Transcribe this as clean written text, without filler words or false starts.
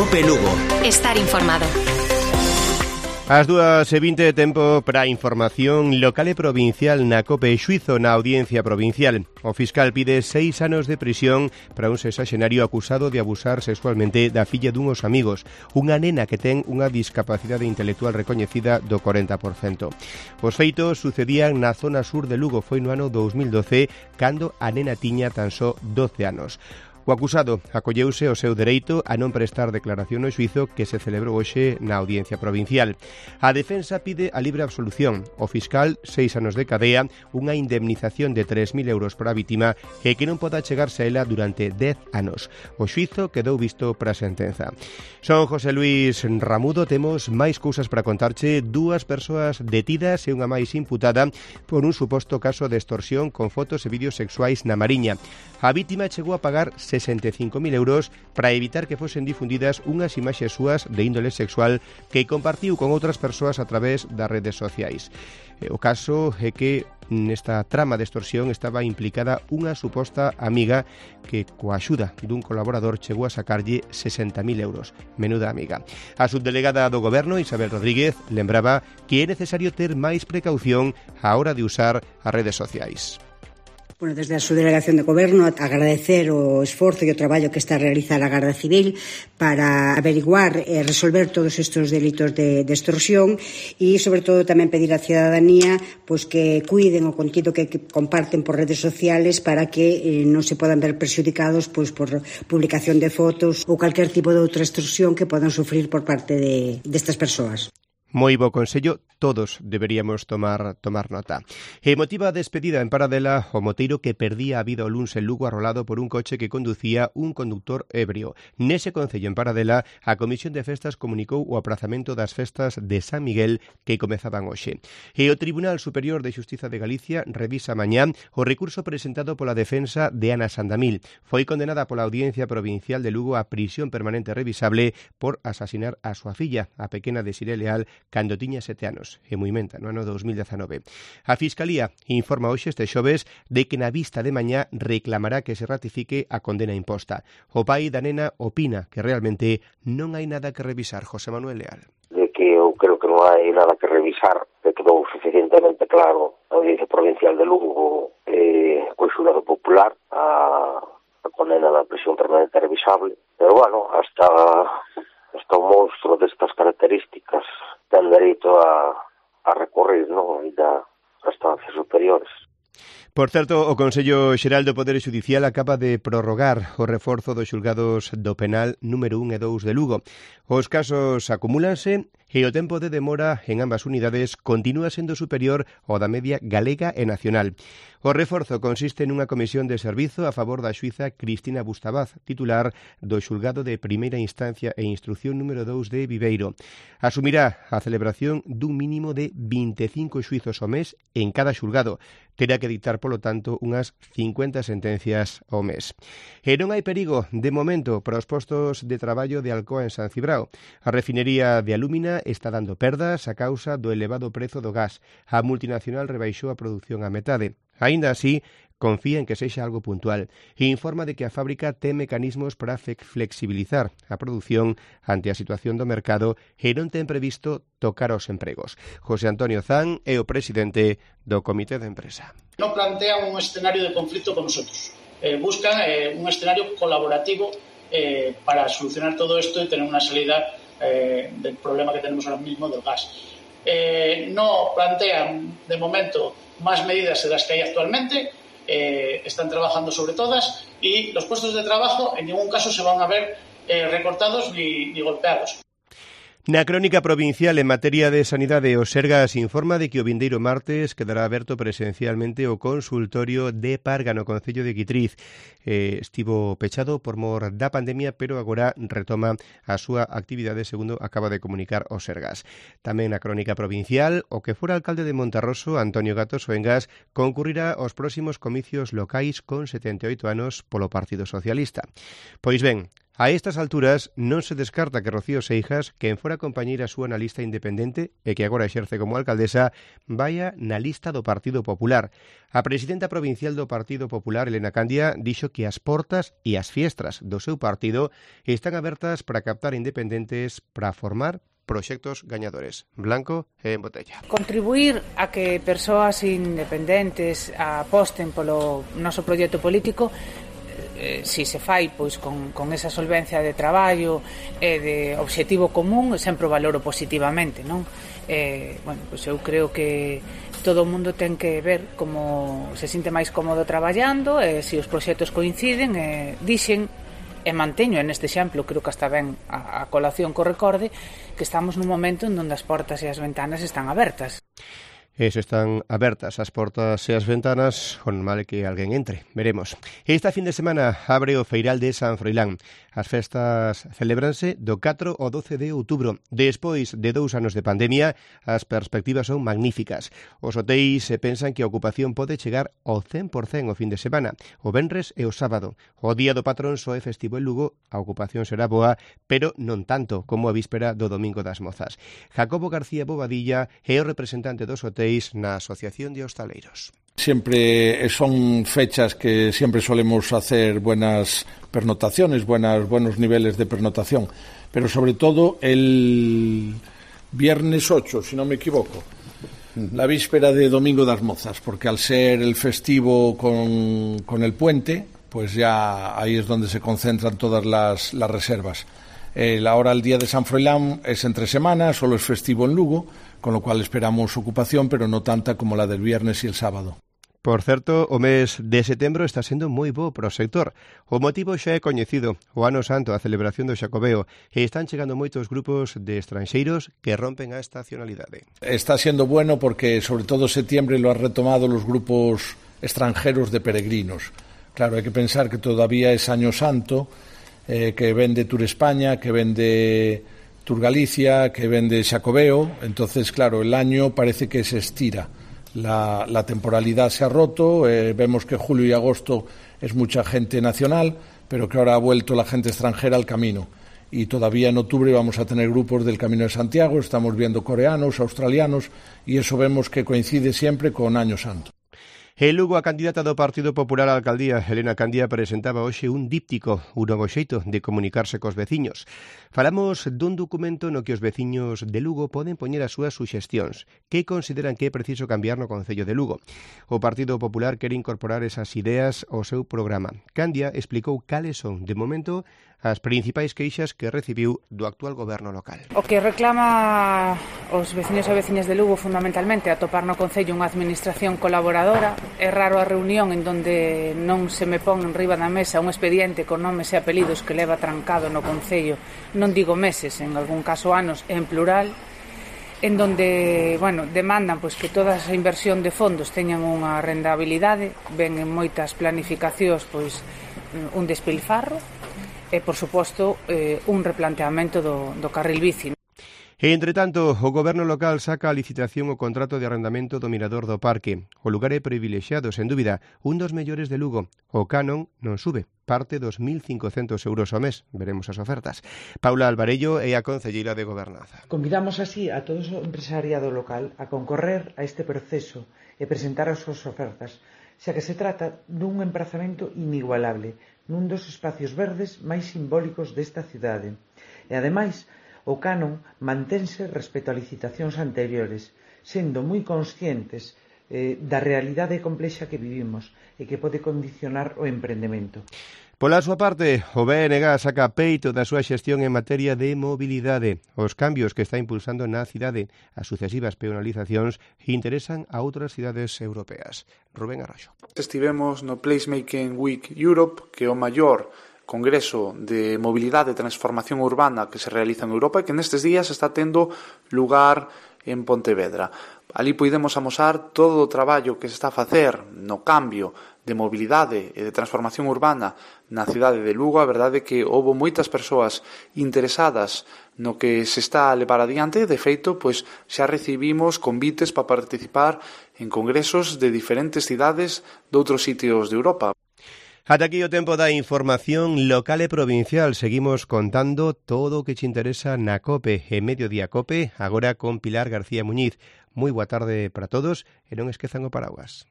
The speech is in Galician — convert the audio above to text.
COPE Lugo. Estar informado. As 2:20, tempo para a información local e provincial na COPE. Xuízo na Audiencia Provincial. O fiscal pide 6 anos de prisión para un sexaxenario acusado de abusar sexualmente da filla dunhos amigos, unha nena que ten unha discapacidade intelectual recoñecida do 40%. Os feitos sucedían na zona sur de Lugo. Foi no ano 2012, cando a nena tiña tan só 12 anos. O acusado acolleuse o seu dereito a non prestar declaración no xuízo que se celebrou hoxe na Audiencia Provincial. A defensa pide a libre absolución. O fiscal, 6 anos de cadea, unha indemnización de 3.000 euros para a vítima e que non poda chegarse a ela durante 10 anos. O xuízo quedou visto para a sentenza. Son José Luis Ramudo. Temos máis cousas para contarche. 2 persoas detidas e unha máis imputada por un suposto caso de extorsión con fotos e vídeos sexuais na Mariña. A vítima chegou a pagar 65.000 euros para evitar que fosen difundidas unhas imaxes súas de índole sexual que compartiu con outras persoas a través das redes sociais. O caso é que nesta trama de extorsión estaba implicada unha suposta amiga que, coa axuda dun colaborador, chegou a sacarlle 60.000 euros. Menuda amiga. A subdelegada do Goberno, Isabel Rodríguez, lembraba que é necesario ter máis precaución á hora de usar as redes sociais. Bueno, desde a Subdelegación de Goberno agradecer o esforzo e o traballo que está a realizar a Garda Civil para averiguar e resolver todos estes delitos de extorsión e, sobre todo, tamén pedir á cidadanía pois que cuiden o contido que comparten por redes sociales para que non se podan ver perxudicados pois por publicación de fotos ou calquer tipo de outra extorsión que podan sufrir por parte destas persoas. Moi bo consello, todos deberíamos tomar nota. Emotiva despedida en Paradela o moteiro que perdía a vida o luns en Lugo arrolado por un coche que conducía un conductor ebrio. Nese concello en Paradela, a Comisión de Festas comunicou o aprazamento das festas de San Miguel que comezaban hoxe. E o Tribunal Superior de Xustiza de Galicia revisa mañá o recurso presentado pola defensa de Ana Sandamil. Foi condenada pola Audiencia Provincial de Lugo a prisión permanente revisable por asasinar a súa filla, a pequena Desiré Leal, cando tiña 7 anos, e moi menta, no ano 2019. A Fiscalía informa hoxe este xoves de que na vista de mañá reclamará que se ratifique a condena imposta. O pai da nena opina que realmente non hai nada que revisar. José Manuel Leal. De que eu creo que non hai nada que revisar, que quedou suficientemente claro a Audiencia Provincial de Lugo co xurado popular a condena da prisión permanente revisable. Pero, bueno, hasta un monstro destas características ten dereito a recorrer, non? A instancias superiores. Por certo, o Consello Xeral do Poder Xudicial acaba de prorrogar o reforzo dos xulgados do penal número 1 e 2 de Lugo. Os casos acumúlanse e o tempo de demora en ambas unidades continúa sendo superior ao da media galega e nacional. O reforzo consiste nunha comisión de servizo a favor da xuíza Cristina Bustabaz, titular do xulgado de primeira instancia e instrucción número 2 de Viveiro. Asumirá a celebración dun mínimo de 25 xuizos ao mes en cada xulgado. Terá que dictar, polo tanto, unhas 50 sentencias ao mes. E non hai perigo, de momento, para os postos de traballo de Alcoa en San Cibrao. A refinería de alúmina está dando perdas a causa do elevado prezo do gas. A multinacional rebaixou a produción á metade. Aínda así, confía en que sexa algo puntual e informa de que a fábrica ten mecanismos para flexibilizar a produción ante a situación do mercado e non ten previsto tocar aos empregos. José Antonio Zan é o presidente do Comité de Empresa. Non plantean un escenario de conflito con nosotros. Buscan un escenario colaborativo para solucionar todo esto y tener una salida del problema que tenemos ahora mismo del gas. No plantean, de momento, más medidas de las que hay actualmente. Están trabajando sobre todas y los puestos de trabajo en ningún caso se van a ver recortados ni golpeados. Na crónica provincial en materia de sanidade, o Sergas informa de que o vindeiro martes quedará aberto presencialmente o consultorio de Parga no concello de Guitriz. Estivo pechado por mor da pandemia, pero agora retoma a súa actividade, segundo acaba de comunicar o Sergas. Tamén na crónica provincial, o que fora alcalde de Monterroso, Antonio Gato Soengas, concurrirá aos próximos comicios locais con 78 anos polo Partido Socialista. Pois ben, A estas alturas non se descarta que Rocío Seijas, quen fora compañeira súa na lista independente e que agora exerce como alcaldesa, vaya na lista do Partido Popular. A presidenta provincial do Partido Popular, Elena Candia, dixo que as portas e as fiestras do seu partido están abertas para captar independentes para formar proxectos gañadores, blanco e en botella. Contribuir a que persoas independentes aposten polo noso proxecto político, si se fai pois con esa solvencia de traballo e de obxectivo común, sempre o valoro positivamente, non? Pois eu creo que todo o mundo ten que ver como se sinte máis cómodo traballando, e se os proxectos coinciden, dixen e manteño neste exemplo, creo que hasta ben a colación co recorde, que estamos nun momento en onde as portas e as ventanas están abertas. Están abertas as portas e as ventanas, o normal é que alguén entre, veremos. Esta fin de semana abre o Feiral de San Froilán. As festas celebranse do 4 ao 12 de outubro. Despois de 2 anos de pandemia, as perspectivas son magníficas. Os hotéis pensan que a ocupación pode chegar ao 100% o fin de semana, o venres e o sábado. O día do patrón só é festivo en Lugo, a ocupación será boa, pero non tanto como a víspera do Domingo das Mozas. Jacobo García Bobadilla é o representante dos hotéis na Asociación de Hostaleiros. Siempre son fechas que siempre solemos hacer buenas pernotaciones, buenos niveles de pernotación, pero sobre todo el viernes 8, si no me equivoco, la víspera de Domingo das Mozas, porque al ser el festivo con el puente, pues ya ahí es donde se concentran todas las reservas. Ahora el día de San Froilán es entre semana, solo es festivo en Lugo, con lo cual esperamos ocupación, pero no tanta como la del viernes y el sábado. Por certo, o mes de setembro está sendo moi bo para o sector. O motivo xa é coñecido, o Ano Santo, a celebración do Xacobeo, e están chegando moitos grupos de estranxeiros que rompen a estacionalidade. Está siendo bueno porque, sobre todo, septiembre lo han retomado los grupos extranjeros de peregrinos. Claro, hay que pensar que todavía es Año Santo, que vende Tour España, que vende Tour Galicia, que vende Xacobeo. Entonces, claro, el año parece que se estira. La temporalidad se ha roto, vemos que julio y agosto es mucha gente nacional, pero que ahora ha vuelto la gente extranjera al camino. Y todavía en octubre vamos a tener grupos del Camino de Santiago, estamos viendo coreanos, australianos, y eso vemos que coincide siempre con Año Santo. En Lugo, a candidata do Partido Popular á alcaldía, Elena Candia, presentaba hoxe un díptico, un novo xeito de comunicarse cos veciños. Falamos dun documento no que os veciños de Lugo poden poñer as súas suxestións, que consideran que é preciso cambiar no Concello de Lugo. O Partido Popular quere incorporar esas ideas ao seu programa. Candia explicou cales son, de momento, as principais queixas que recibiu do actual goberno local. O que reclama os veciños e veciñas de Lugo fundamentalmente é atopar no Concello unha administración colaboradora. É raro a reunión en donde non se me pon en riba da mesa un expediente con nomes e apelidos que leva trancado no Concello, non digo meses, en algún caso anos, en plural, en donde, demandan pois que toda esa inversión de fondos teñan unha rentabilidade, ven en moitas planificacións pois un despilfarro, e, por suposto, un replanteamento do carril bici. Entre tanto, o goberno local saca a licitación o contrato de arrendamento do mirador do parque. O lugar é privilexiado, sen dúbida, un dos mellores de Lugo. O canon non sube, parte dos 1.500 euros ao mes. Veremos as ofertas. Paula Alvarello é a concelleira de Gobernanza. Convidamos así a todo o empresariado local a concorrer a este proceso e presentar as súas ofertas, xa que se trata dun emprazamento inigualable, nun dos espacios verdes máis simbólicos desta cidade. E, ademais, o canon mantense respecto a licitacións anteriores, sendo moi conscientes da realidade complexa que vivimos e que pode condicionar o emprendemento. Pola súa parte, o BNG saca peito da súa xestión en materia de mobilidade. Os cambios que está impulsando na cidade, as sucesivas peonalizacións, interesan a outras cidades europeas. Rubén Arroxo. Estivemos no Placemaking Week Europe, que é o maior congreso de mobilidade e transformación urbana que se realiza en Europa e que nestes días está tendo lugar en Pontevedra. Ali podemos amosar todo o traballo que se está a facer no cambio de mobilidade e de transformación urbana na cidade de Lugo. A verdade é que houve moitas persoas interesadas no que se está a levar adiante. De feito, pois xa recibimos convites para participar en congresos de diferentes cidades de outros sitios de Europa. Ata aquí o tempo da información local e provincial. Seguimos contando todo o que te interesa na COPE e Mediodía COPE, agora con Pilar García Muñiz. Moi boa tarde para todos e non esquezan o paraguas.